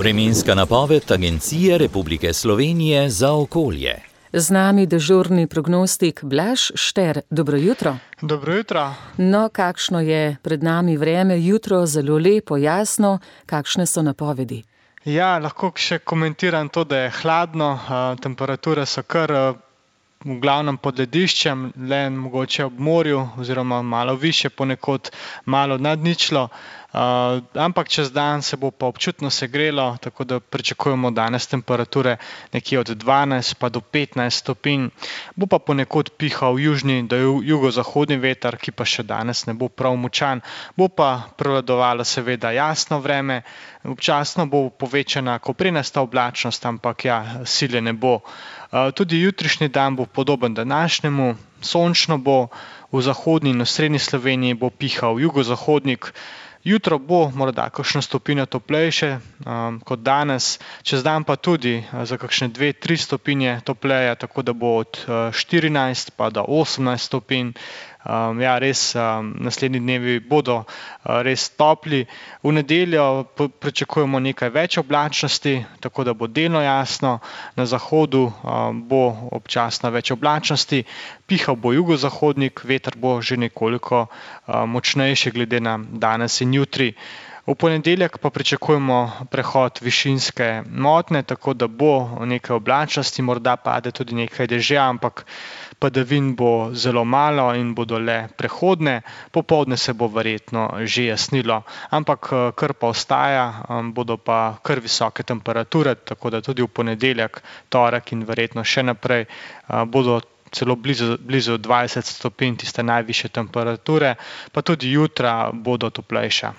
Vremenska napoved Agencije Republike Slovenije za okolje. Z nami dežurni prognostik Blaž Šter. Dobro jutro. Dobro jutro. No, kakšno je pred nami vreme? Jutro zelo lepo, jasno. Kakšne so napovedi? Ja, lahko še komentiram to, da je hladno, temperature so kar v glavnem pod lediščem, le mogoče ob morju oziroma malo više, ponekod malo nad ničlo. Ampak čez dan se bo pa občutno segrelo, tako da pričakujemo danes temperature nekje od 12 pa do 15 stopinj. Bo pa ponekod pihal južni do jugozahodni veter, ki pa še danes ne bo prav močan. Bo pa prevladovalo seveda jasno vreme, občasno bo povečana koprenasta oblačnost, ampak ja, sile ne bo. Tudi jutrišnji dan bo podoben današnjemu, sončno bo, v zahodni in osrednji Sloveniji bo pihal jugozahodnik. Jutro bo morda kakšno stopinjo toplejše kot danes, čez dan pa tudi za kakšne 2-3 stopinje topleje, tako da bo od 14 pa do 18 stopinj. Ja, res, naslednji dnevi bodo res topli. V nedeljo pričakujemo nekaj več oblačnosti, tako da bo delno jasno. Na zahodu bo občasno več oblačnosti, pihal bo jugozahodnik, veter bo že nekoliko močnejši glede na danes in jutri. V ponedeljek pa pričakujemo prehod višinske motnje, tako da bo nekaj oblačnosti, morda pade tudi nekaj dežja, ampak padavin bo zelo malo in bodo le prehodne. Popoldne se bo verjetno že jasnilo, ampak kar pa ostaja, bodo pa kar visoke temperature, tako da tudi v ponedeljek, torek in verjetno še naprej bodo celo blizu 20 stopinj, tiste najvišje temperature, pa tudi jutra bodo toplejša.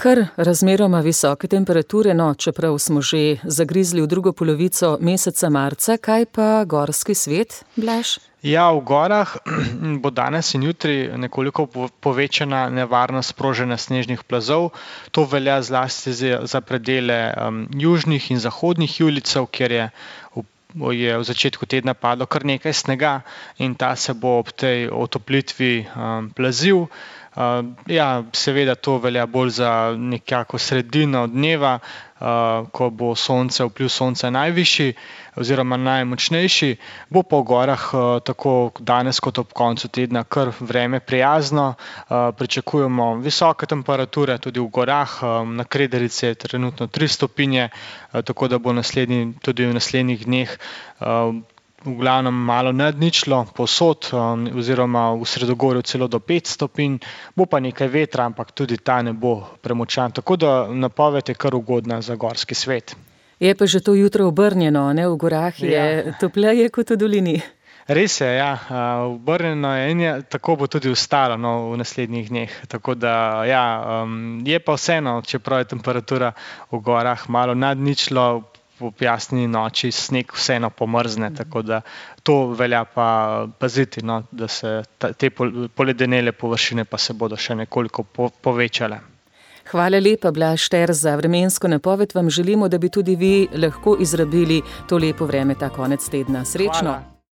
Kar razmeroma visoke temperature, no, čeprav smo že zagrizli v drugo polovico meseca marca, kaj pa gorski svet, Blaž? Ja, v gorah bo danes in jutri nekoliko povečana nevarnost sprožanja snežnih plazov. To velja zlasti za predele južnih in zahodnih julijcev, kjer je v začetku tedna padlo kar nekaj snega in ta se bo ob tej otoplitvi plazil. Ja, seveda to velja bolj za nekako sredino dneva, ko bo vpliv sonca najvišji oziroma najmočnejši. Bo pa v gorah tako danes kot ob koncu tedna kar vreme prijazno. Pričakujemo visoke temperature tudi v gorah, na Kredarici je trenutno 3 stopinje, tako da bo tudi v naslednjih dneh v glavnem malo nad ničlo povsod oziroma v Sredogorju celo do 5 stopinj, bo pa nekaj vetra, ampak tudi ta ne bo premočan, tako da napoved je kar ugodna za gorski svet. Je pa že to jutro obrnjeno, ne? V gorah je topleje kot v dolini. Res je, ja, obrnjeno je in tako bo tudi ostalo v naslednjih dneh, tako da ja, je pa vseeno, čeprav je temperatura v gorah malo nad ničlo, v jasni noči sneg vseeno pomrzne, tako da to velja pa paziti, da se te poledenele površine pa se bodo še nekoliko povečale. Hvala lepa, Blaž Šter, za vremensko napoved. Vam želimo, da bi tudi vi lahko izrabili to lepo vreme ta konec tedna. Srečno! Hvala.